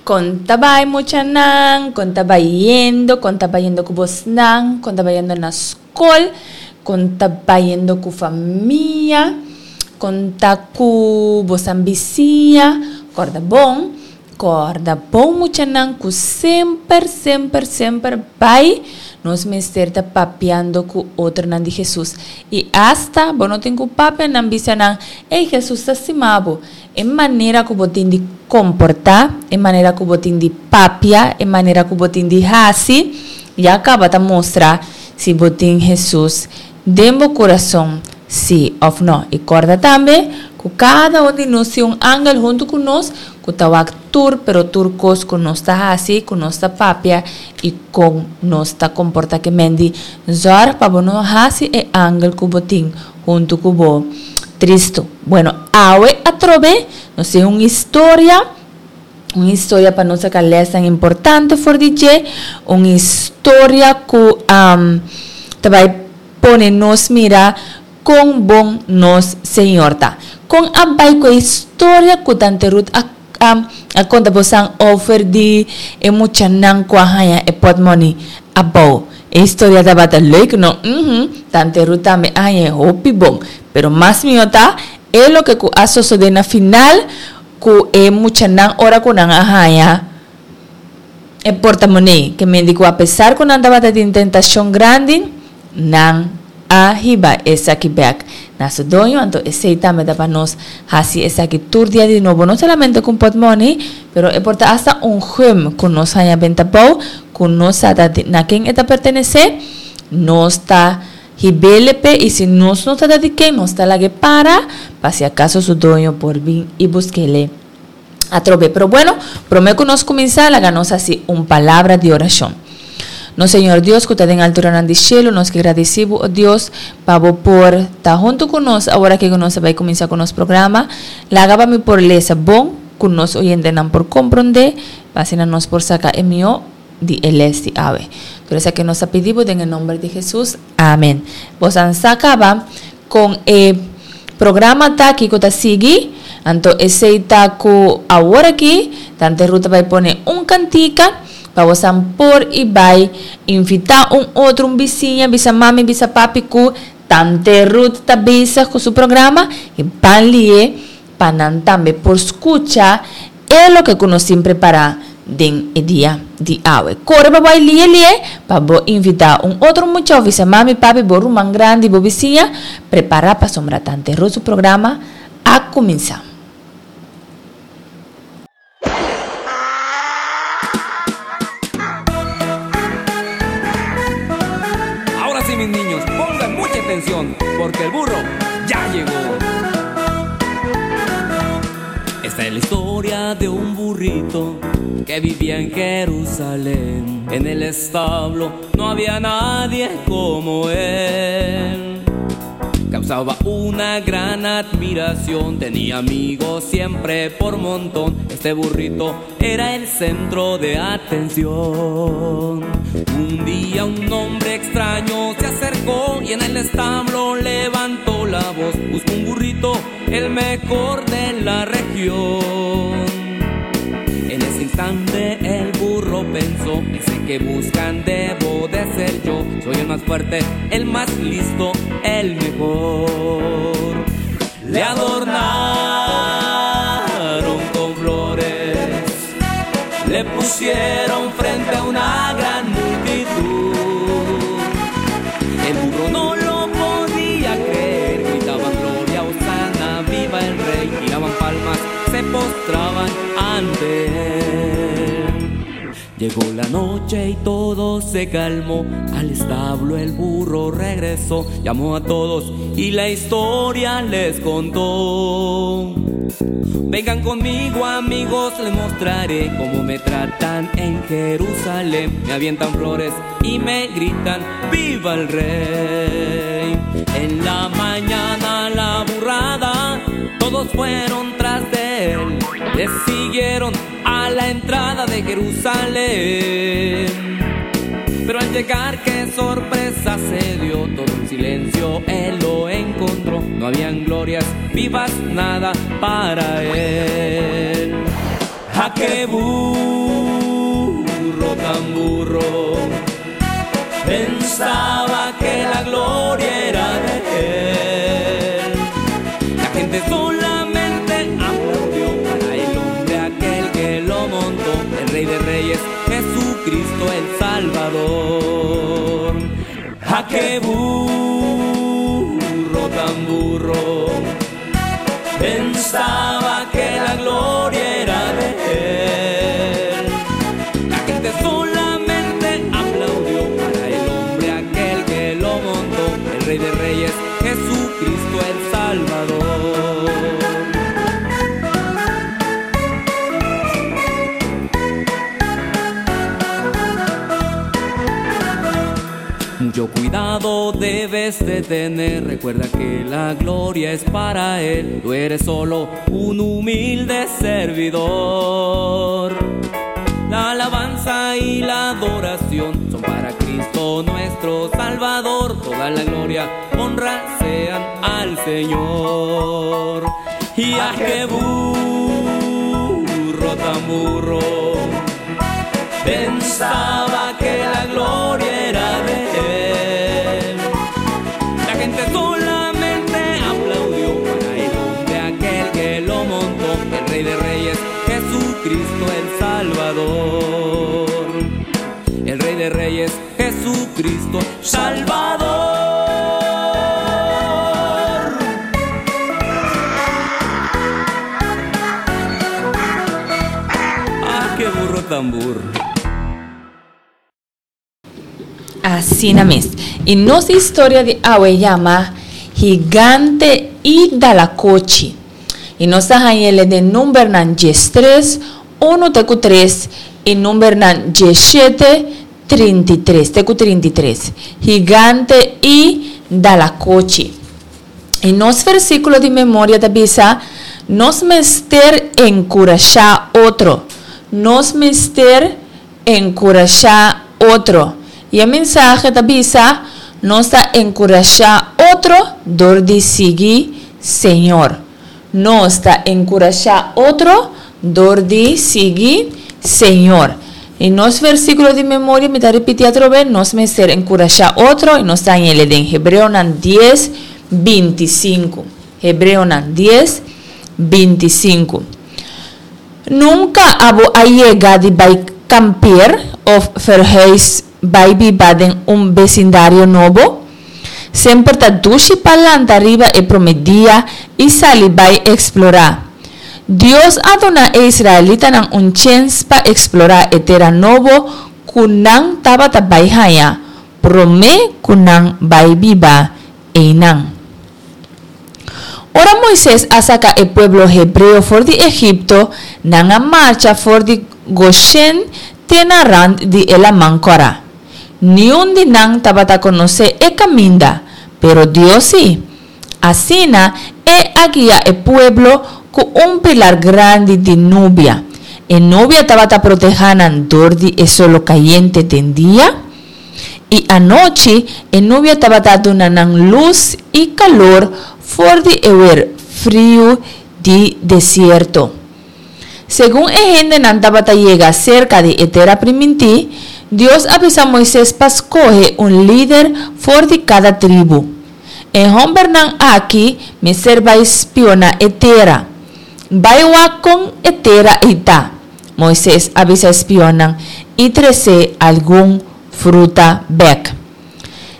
Kon ta bai muchanan? Kon ta bayendo? Kon ta bayendo ku bosnan? Kon ta bayendo na skol? Kon ta bayendo ku famia? Kon ta ku bosan bisiña? Kòrda bon, kòrda bon muchanan ku semper, semper, semper bai nos mester ta papiando ku otronan di Hesus. I asta bo no tin ku papia nan bisa nan, Ey, Hesus ta stima bo. E manera ku bo tin di komportá, e manera ku bo tin di papia, e manera ku bo tin di hasi, ya kaba ta mustra si bo tin Hesus den bo kurason sí òf nò. I kòrda tambe ku kada un di nos tin un angel huntu ku nos ku ta wak tur pero tur kos ku nos ta hasi, ku nos ta papia i kon nos ta komportá. Ke men di zòrg pa bo no hasi e angel ku bo tin huntu ku bo tristu. Bueno, awe atrobe nos tin un historia, un historia pa nos saca lesnan importante for di dje, un historia cu ta bay pone nos mira con bon nos Señor ta. Con a bay cu e historia cu Tante Ruth a a konta bosan over di e muchanan ku a haña e pòtmòni abou. E historia tabata leuk no? Uhum, Tante Ruth tambe a haña e hopi bon. Pero mas mihó ta e loke ku a sosodé na final ku e muchanan ora ku nan a haña e portamonei. Ke mende ku apesar ku nan tabata tin tentashon grandi, nan a hiba esaki bek na su doño, anto esei tambe ta pa nos hasi esaki tur dia di nobo, no solamente ku un pòtmòni, pero e por ta asta un gum ku nos haña benta bou, ku nos sa ta na ken e ta pertenesé, nos ta hib'é p'e i si nos no sa ta di ken, nos ta lag'é para pa si akaso su doño por bin i busk'é. Atrobe. Pero bueno, promé ku nos kuminsá, laga nos hasi un palabra di orashon. Nos Señor Dios ku ta den alturanan di shelu, nos ke gradisí bo, o Dios, pa bo por ta huntu ku nos awor aki ku nos a bai kuminsá ku nos programa. Laga pa mi por lesa bon, ku nos oyentenan por komprondé, pa asina nos por saka e mihó di e les di awe. Tur esaki nos ta pidi bo den e nomber di Hesus. Amen. Bosan sa kaba kon e programa ta, kiko ta sigui, anto esei ta ku awor aki Tante Ruth ta bai pone un kantika pa bosan por i bai invitá un otro, un bisiña, bisa mami, bisa papi ku Tante Ruth ta bezig ku su programa i ban li'é pa nan tambe por skucha e loke ku nos tin prepará den e dia di awe. Kore pa bo ai lie lie pa bo invitá un otro mucha òf bisa mami, papi, bo ruman grandi, bo bisiña, prepará pasobra Tante Ruth su programa a kuminsá. Ahora sí mis niños, pongan mucha atención porque el burro ya llegó. Esta es la historia de un burrito que vivía en Jerusalén. En el establo no había nadie como él. Causaba una gran admiración, tenía amigos siempre por montón. Este burrito era el centro de atención. Un día un hombre extraño se acercó y en el establo levantó la voz. Buscó un burrito, el mejor de la región. En ese instante el burro pensó, ese que buscan debo de ser yo. Soy el más fuerte, el más listo, el mejor. Le adornaron con flores, le pusieron frente a una gran multitud. El burro no lo podía creer, gritaban gloria, hosana, viva el rey, tiraban palmas, se postraban ante él. Llegó la noche y todo se calmó, al establo el burro regresó, llamó a todos y la historia les contó. Vengan conmigo amigos, les mostraré cómo me tratan en Jerusalén. Me avientan flores y me gritan, ¡viva el rey! En la mañana la burrada, todos fueron tras de él. Le siguieron a la entrada de Jerusalén. Pero al llegar, qué sorpresa se dio, todo en silencio él lo encontró. No habían glorias vivas, nada para él. ¡A qué burro tan burro! Pensaba que la gloria era de él. La gente solamente aplaudió para el hombre aquel que lo montó, el Rey de Reyes, Jesucristo el Salvador. ¡A qué burro tan burro! Pensaba que la gloria era de él. La gente solamente aplaudió para el hombre aquel que lo montó, el Rey de Reyes, Jesucristo el Salvador. Mucho cuidado debes de tener, recuerda que la gloria es para él, tú eres solo un humilde servidor. La alabanza y la adoración son para Cristo nuestro Salvador, toda la gloria, honra sean al Señor. Y a qué burro tan burro, pensaba que la gloria era de él. La gente solamente aplaudió para el hombre aquel que lo montó, el Rey de Reyes, Jesucristo el Salvador. El Rey de Reyes, Jesucristo Salvador. ¡Ah, qué burro tan burro! Asina mes. I nos historia di awe yama Gigante i Dalakochi. I nos ta hañ'ele den numbernan diestres, unu te ku tres i numbernan diesshete, 33 te ku 33. Gigante i Dalakochi. I nos versíkulo di memoria ta bisa, Nos mester enkurashá otro. Nos mester enkurashá otro. I e mensahe ta bisa, Nos ta enkurashá otro dor di sigui Señor. Nos ta enkurashá otro dor di sigui Señor. I nos versíkulo di memoria, mi ta ripití atrobe, nos mester enkurashá otro, i nos ta hañ'el den Hebreonan dies, bintisinku. Hebreonan dies, bintisinku. Nunka abo a yega di bai kampeer of verhuis bai biba den un besindario nobo? Semper ta dushi pa lanta riba e prome dia i sali bai eksplorá. Dios a duna e israelitanan un chens pa eksplorá e tera nobo ku nan tabata bai haña promé ku nan bai biba einan. Ora Moises a saka e pueblo hebreo for di Egipto, nan a marcha for di Goshen te na rant di e Laman Kòrá. Niun di nan tabata konosé e kaminda, pero Dios sí. Asina, e a guia e pueblo ku un pilar grandi di nubia. E nubia tabata protehá nan dor di e solo kayente den dia. I anochi e nubia tabata duna nan lus i kalor for di e wer friu di desierto. Segun e hendenan tabata yega serka di e Tera Primintí, Dios a bisa Moises pa skohe un lider for di kada tribu. E hòmbernan aki mester bai spioná e tera. Bai wak kon e tera ei ta. Moises a bisa e spionnan i trese algun fruta bèk.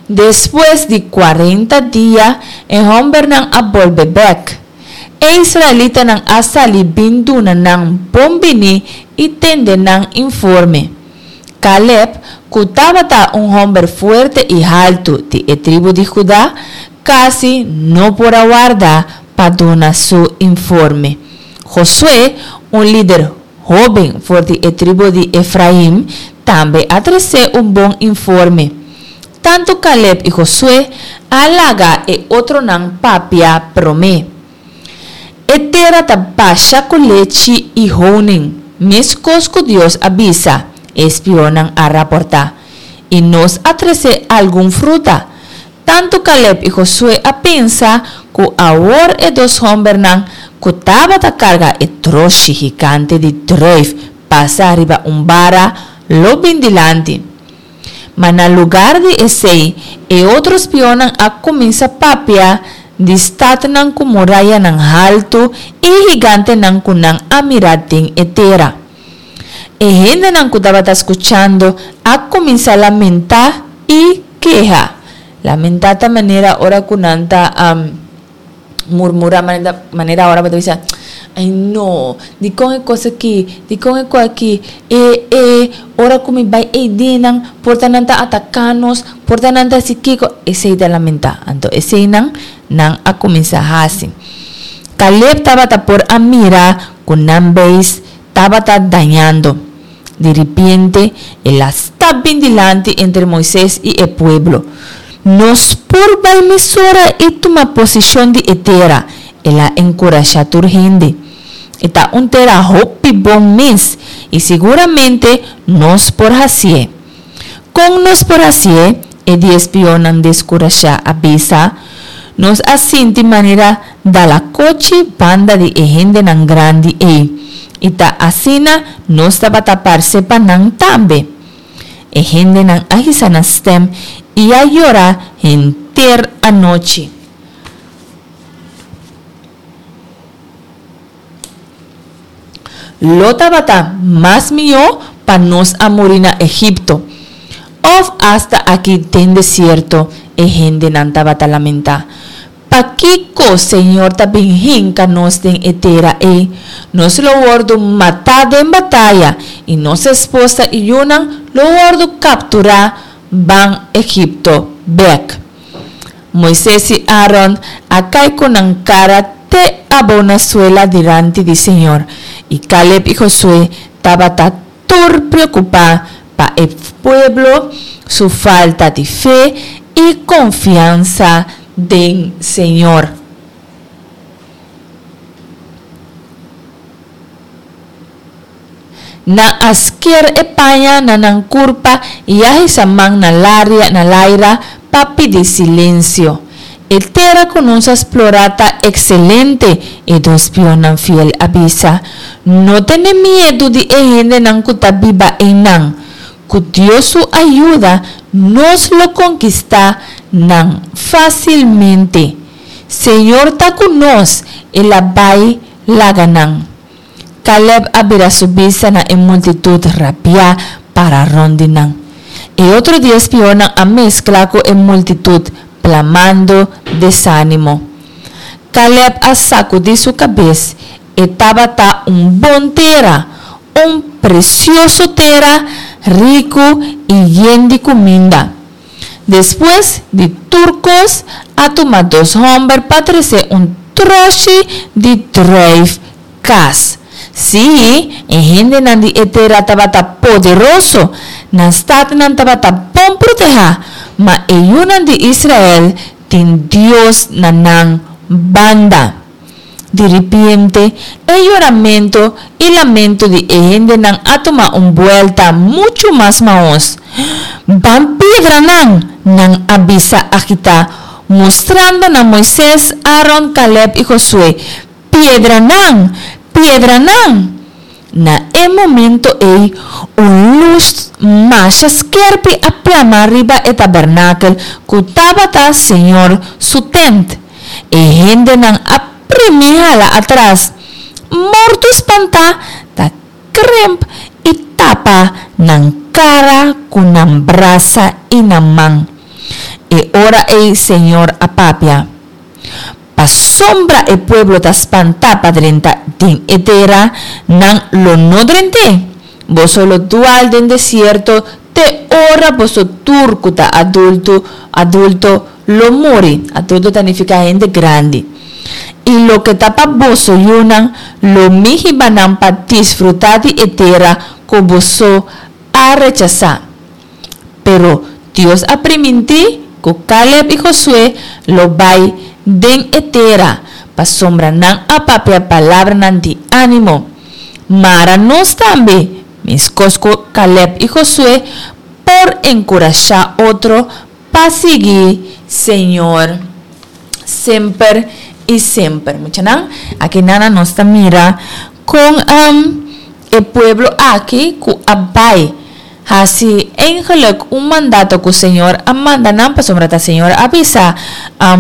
Despues di kuarenta dia e hòmbernan a bolbe bèk. E israelitanan a sali bin duna nan bon biní i tende nan informe. Kaleb, ku tabata un hòmber fuerte i haltu di e tribu di Huda, kasi no por a warda pa duna su informe. Josué, un lider hóben for di e tribu di Efraim, tambe a tresé un bon informe. Tantu Kaleb i Josué a laga e otronan papia promé. E tera ta basha ku lechi i honing, meskos ku Dios a bisa, e spionnan a raportá. I nos a tresé algun fruta. Tantu Kaleb i Josué a pensa ku awor e dos hòmbernan ku tabata karga e troshi gigante di druif pasa riba un bara, lo bin dilanti. Ma na lugar di esei, e otro spionnan a kuminsá papia di statnan ku murayanan haltu i higantenan ku nan a mira den e tera. E hendenan ku tabata skuchando a kuminsá lamentá i keha. Lamentá ta manera ora ku nan ta murmurá, manera ora bo ta bisa, Ai no, dikon e kos aki, dikon e kos aki, e e ora ku mi bai eidennan por ta nan ta ataká nos, por ta nan ta hasi kiko, esei ta lamentá. Anto eseinan nan a kuminsá hasi. Kaleb tabata por a mira ku nan beis tabata dañando. Di ripiente, el a stap bin dilanti entre Moises i e pueblo. Nos por bai mesora i tuma posishon di e tera, el a enkurashá tur hende. E ta un tera hopi bon mes i siguramente nos por hasié. Kon nos por hasié? E di espionnan deskurashá a bisa. Nos a sinti manera dalakochi banda di e hendenan grandi ei, i ta asina nos tabata parse pa nan tambe. E hendenan a hisa nan stèm i a yora henter anochi. Lo tabata mas mihó pa nos a muri na Egipto, òf asta aki den desierto, e hendenan tabata lamentá. Pakiko Señor ta bin hinka nos den e tera ei? Nos lo wòrdu matá den bataya, i nos esposa i yunan lo wòrdu kapturá ban Egipto bèk. Moises i Aaron a kai ku nan kara te abou na suela dilanti di señor, i Kaleb i Josué tabata tur preokupá pa e pueblo su falta di fe i konfiansa den señor. Nan a sker e paña na nan kurpa i a hisa man na laria na laira pa pidi silensio. E tera ku nos a splorá ta ekselente, e dos pionnan fiel a bisa. No tene miedu di e hendenan ku ta biba einan. Ku Dios su ayuda nos lo konkistá nan fásilmente. Señor ta ku nos, el a bai laga nan. Caleb a bira su bista na e multitud rabiá para rond di nan. E otro dies pionnan a meskla ku e multitud, plamando desánimo. Caleb a sakudí su kabes. E tabata un bon tera, un presioso tera, riku i yen di kuminda. Despues di tur kos, a tuma dos hòmber pa trese un troshi di druif kas. Sí, e hendenan di e tera tabata poderoso, nan statnan tabata bon protehá, ma e yunan di Israel tin Dios na nan banda. Di ripiente, e yoramento i lamento di e hendenan a tuma un buelta muchu mas maos. Ban piedra nan! nan a bisa agitá, mustrando na Moises, Aron, Kaleb i Josué. Piedra nan! Piedra nan! Na e momento ei, un lus masha skerpi a plama riba e tabernakel ku tabata Señor su tent. E hendenan a primi hala atras, morto spantá ta kremp i tapa nan kara ku nan brasa i nan man. E ora ei Señor a papia. Pasobra e pueblo ta spantá pa drenta den e tera, nan lo no drent'é. Boso lo dual den desierto te ora boso tur ku ta adulto, adulto, lo muri, adulto ta nifiká hende grandi. I loke ta pa boso yunan, lo mi hiba nan pa disfrutá di e tera ku boso a rechasá. Pero Dios a primintí ku Kaleb i Josué lo bai den e tera, pasobra nan a papia palabranan di ánimo. Mara nos tambe, meskos ku Kaleb i Josué, por enkurashá otro pa sigui Señor semper. i semper. Muchanan, aki nana nos ta mira kon e pueblo aki ku a bai hasi eigenlijk un mandato ku Señor a manda nan, pasobra ta Señor a bisa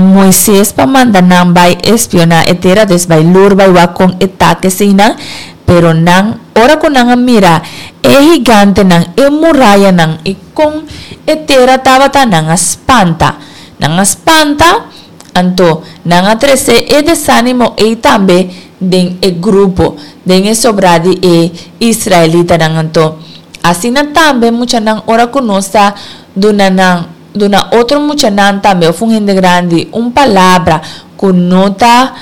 Moises pa manda nan bai espioná e tera, dus bai lur bai wak kon e ta keseinan, pero nan ora ku nan a mira e higantenan, e murayanan i kon e tera tabata, nan a spanta. Nan a spanta, anto nan a trese e desánimo ei tambe den e grupo, den e sobrá di e israelitanan. Anto, asina tambe muchanan ora ku nos ta duna nan, duna otro muchanan tambe òf un hende grandi un palabra ku no ta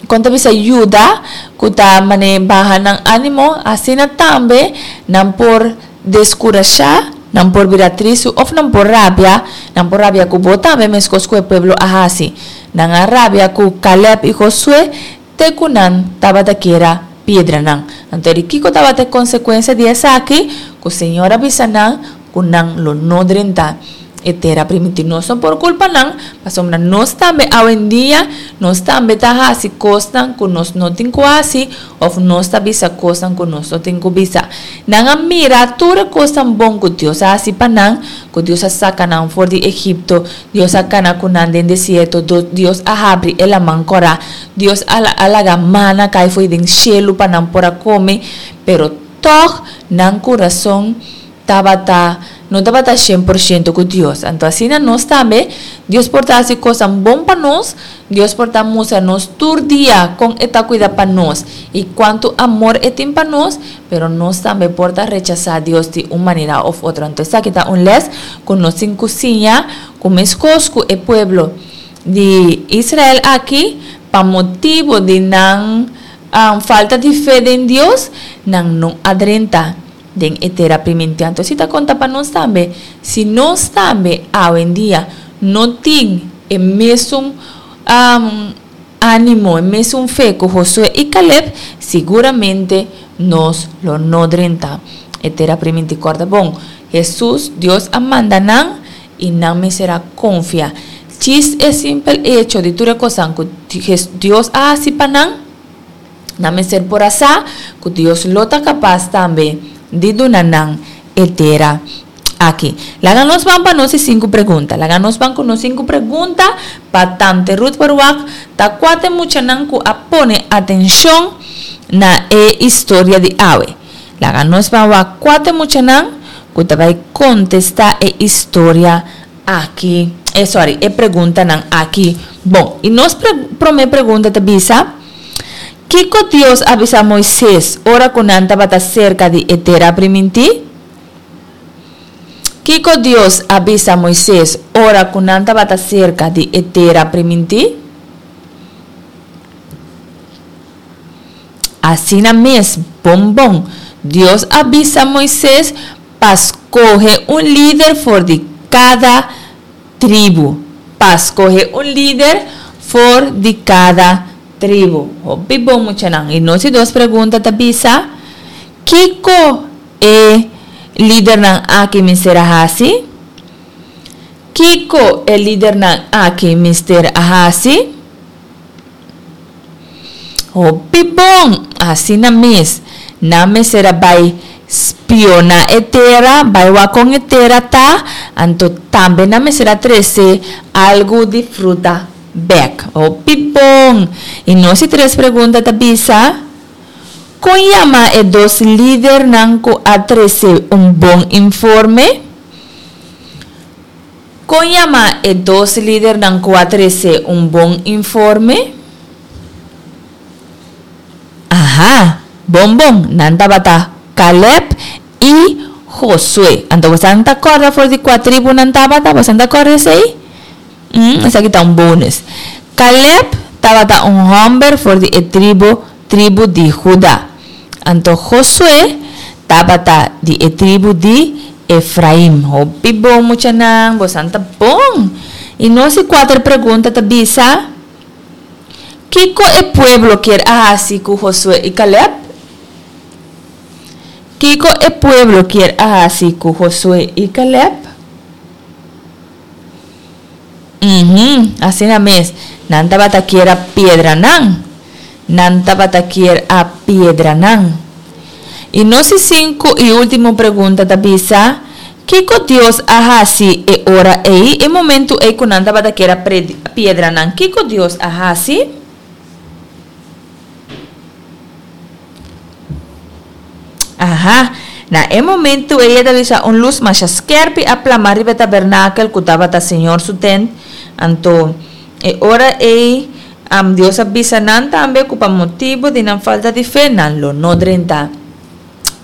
Kon ta bisa yuda ku ta manera baha nan ánimo, asina tambe nan por deskurashá, nan por bira tristu òf nan por rabia, nan por rabia ku bo tambe meskos ku e pueblo a hasi. Nan a rabia ku Kalèb i Josué te ku nan tabata kier a piedra nan. Anto di kiko tabata e konsekuensia di esaki? Ku Señor a bisa nan ku nan lo no drenta e tera primintí. Nos no por kulpa nan, pasobra nos tambe awendia nos tambe ta hasi kosnan ku nos no tin ku hasi òf nos ta bisa kosnan ku nos no tin ku bisa. Nan a mira tur e kosnan bon ku Dios a hasi pa nan, ku Dios a saka nan for di Egipto, Dios a kana ku nan den desierto, Dios a habri e laman kòrá, Dios a laga mana kai fo'i den shelu pa nan por a kome, pero tòg nan kurason tabata no tabata shen por shento ku Dios. Anto asina nos tambe, Dios por ta hasi kosnan bon pa nos, Dios por ta mustra nos tur dia kon e ta kuida pa nos i kuantu amor e tin pa nos, pero nos tambe por ta rechasá Dios di un manera òf otro. Anto esaki ta un lès ku nos tin ku siña ku meskos ku e pueblo di Israel aki, pa motibu di nan falta di fe den Dios, nan no a drenta den e tera primintí. Anto si ta konta pa nos tambe, si nos tambe awendia no tin e mesun ánimo, e mesun fe ku Josué i Kaleb, siguramente nos lo no drenta e tera primintí. Kòrda bon, Hesus, Dios a manda nan i nan mester a konfia. Djis e simpel echo di tur e kosnan ku Dios a hasi pa nan, Nan mester por a sa ku Dios lo ta kapas tambe di duna nan e tera aki. Laga nos ban pa nos e sinku pregunta. Laga nos ban ku nos sinku pregunta pa Tante Ruth por wak ta kua ta e muchanan ku a pone atenshon na e historia di awe. Laga nos ban wak kua ta e muchanan ku ta bai kontestá e historia aki, e sorry, e preguntanan aki. Bon, i nos promé pregunta ta bisa, Kiko Dios a bisa Moises ora ku nan tabata serka di e Tera Primintí? Kiko Dios a bisa Moises ora ku nan tabata serka di e Tera Primintí? Asina mes, bon bon, Dios a bisa Moises pa skohe un lider for di kada tribu. Pa skohe un lider for di kada tribu. Hopi bon muchanan. I nos di dos pregunta ta bisa, Kiko e lidernan aki mester a hasi? Kiko e lidernan aki mester a hasi? Hopi bon! Asina mes, nan mester a bai spiona e tera, bai wak kon e tera ta, anto tambe nan mester a trese algu di fruta bek. Hopi bon! I nos di tres pregunta ta bisa, Kon yama e dos lidernan ku a trese un bon informe? Kon yama e dos lidernan ku a trese un bon informe? Aha! Bon bon, nan tabata Kalèb i Josué. Anto bosan ta kòrda for di kua tribu nan tabata? Bosan ta kòrda esei? Mm, esaki ta un bonus. Kalèb tabata un hòmber for di e tribu tribu di Huda. Anto Josué tabata di e tribu di Efraim. Hopi bon, muchanan, bosan ta bon! I nos di kuater pregunta ta bisa, Kiko e pueblo kier a hasi ku Josué i Kalèb? Kiko e pueblo kier a hasi ku Josué i Kalèb? Uhum, asina mes. Nan tabata kier a piedra nan. Nan tabata kier a piedra nan. I nos di sinku i último pregunta ta bisa, Kiko Dios a hasi e ora ei, e momentu ei ku nan tabata kier a piedra nan? Kiko Dios a hasi? Aha, na e momentu ei e ta bisa un lus masha skèrpi a plama riba e tabernakel ku tabata Señor su tent. Anto, e ora ei, Dios a bisa nan tambe ku pa motibu di nan falta di fe nan lo no drenta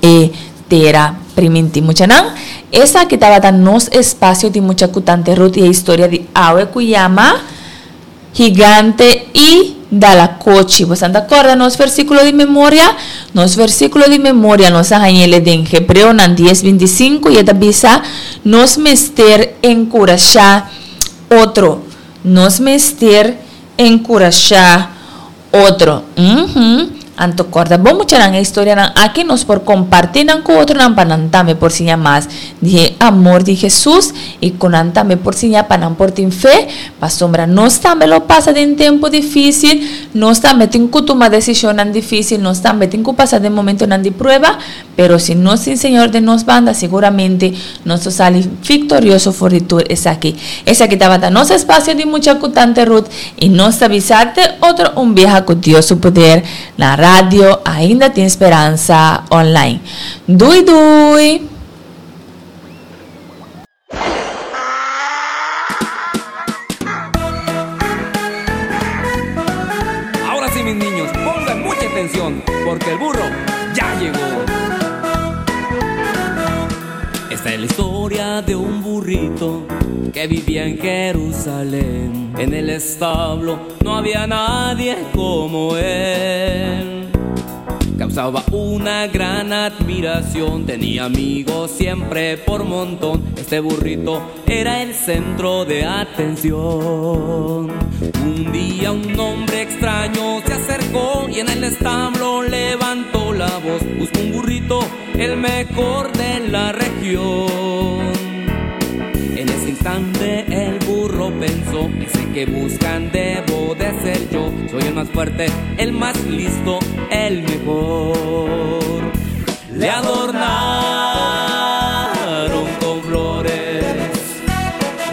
e tera primintí. Muchanan, esaki tabata nos espasio di mucha ku Tante Ruth i e historia di awe ku yama Gigante i Dalakochi. Bosan ta kòrda nos versíkulo di memoria? Nos versíkulo di memoria nos a hañ'el den Hebreonan dies bintisinku i e ta bisa, Nos mester enkurashá otro. Nos mester enkurashá otro. Uhum. Anto kòrda bon muchanan e historianan aki nos por kompartí nan ku otronan pa nan tambe por siña mas di e amor di Hesus i ku nan tambe por siña pa nan por tin fe, pasobra nos tambe lo pasa den tempu difísil, nos tambe tin ku tuma desishonnan difísil, nos tambe tin ku pasa den momentonan di prueba, Pero si nos tin Señor den nos banda, siguramente nos lo sali victorioso for di tur esaki. Esaki tabata nos espacio di Mucha cu Tante Ruth y nos ta bisa te otro un biaha cu Dios su poder na radio Ainda Tin Speransa Online. Dui dui! Ahora sí, mis niños, pongan mucha atención, porque el burro ya llegó. Esta es la historia de un burrito que vivía en Jerusalén. En el establo no había nadie como él. Causaba una gran admiración, tenía amigos siempre por montón. Este burrito era el centro de atención. Un día un hombre extraño se acercó y en el establo levantó la voz. Buscó un burrito, el mejor de la región. En ese instante el burro pensó, ese que buscan debo de ser yo. Soy el más fuerte, el más listo, el mejor. Le adornaron con flores,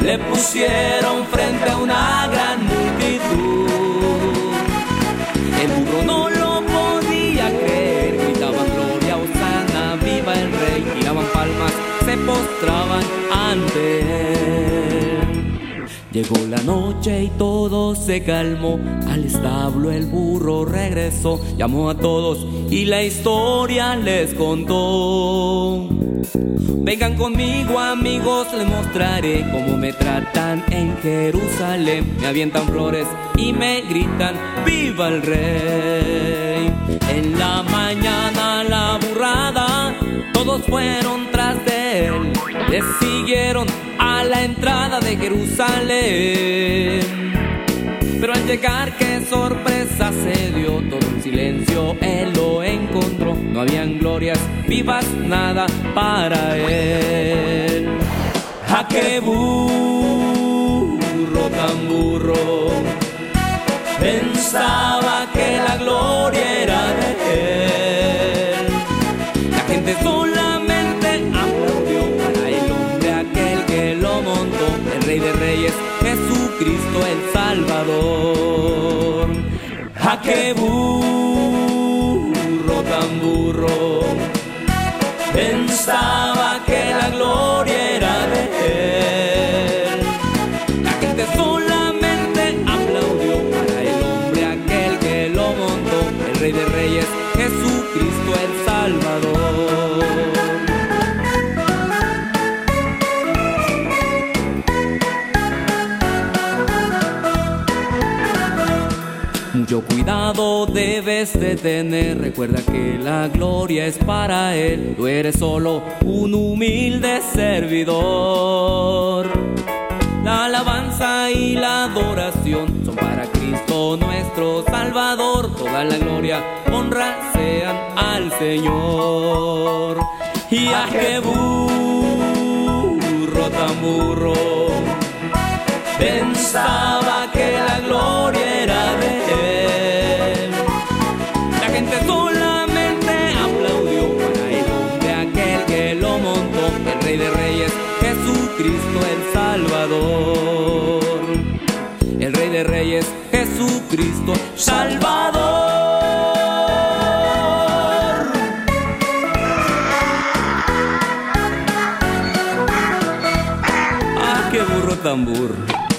le pusieron frente a una gran multitud. El burro no lo podía creer, gritaban gloria, hosana, viva el rey, tiraban palmas, se postraban ante él. Llegó la noche y todo se calmó. Al establo el burro regresó, llamó a todos y la historia les contó. Vengan conmigo amigos, les mostraré cómo me tratan en Jerusalén. Me avientan flores y me gritan, ¡viva el rey! En la mañana la burrada, todos fueron tras de él. Le siguieron a la entrada de Jerusalén. Pero al llegar, qué sorpresa se dio, todo en silencio él lo encontró. No habían glorias vivas, nada para él. ¡Ja, qué burro tan burro! Pensaba que la gloria era de él. La gente solamente aplaudió para el hombre aquel que lo montó, el Rey de Reyes, Jesucristo el Salvador. ¡Ja, qué burro tan burro! Pensaba que la gloria era de él. La gente solamente aplaudió para el hombre aquel que lo montó, el Rey de Reyes, Jesucristo el Salvador. Mucho cuidado debes de tener, recuerda que la gloria es para él. Tú eres solo un humilde servidor. La alabanza y la adoración son para Cristo nuestro Salvador. Toda la gloria, honra sean al Señor. Y a qué burro tan burro, Pensaba que la gloria era de él. La gente solamente aplaudió para el hombre aquel que lo montó, el Rey de Reyes, Jesucristo el Salvador. El Rey de Reyes, Jesucristo Salvador. Ah, qué burro tan burro.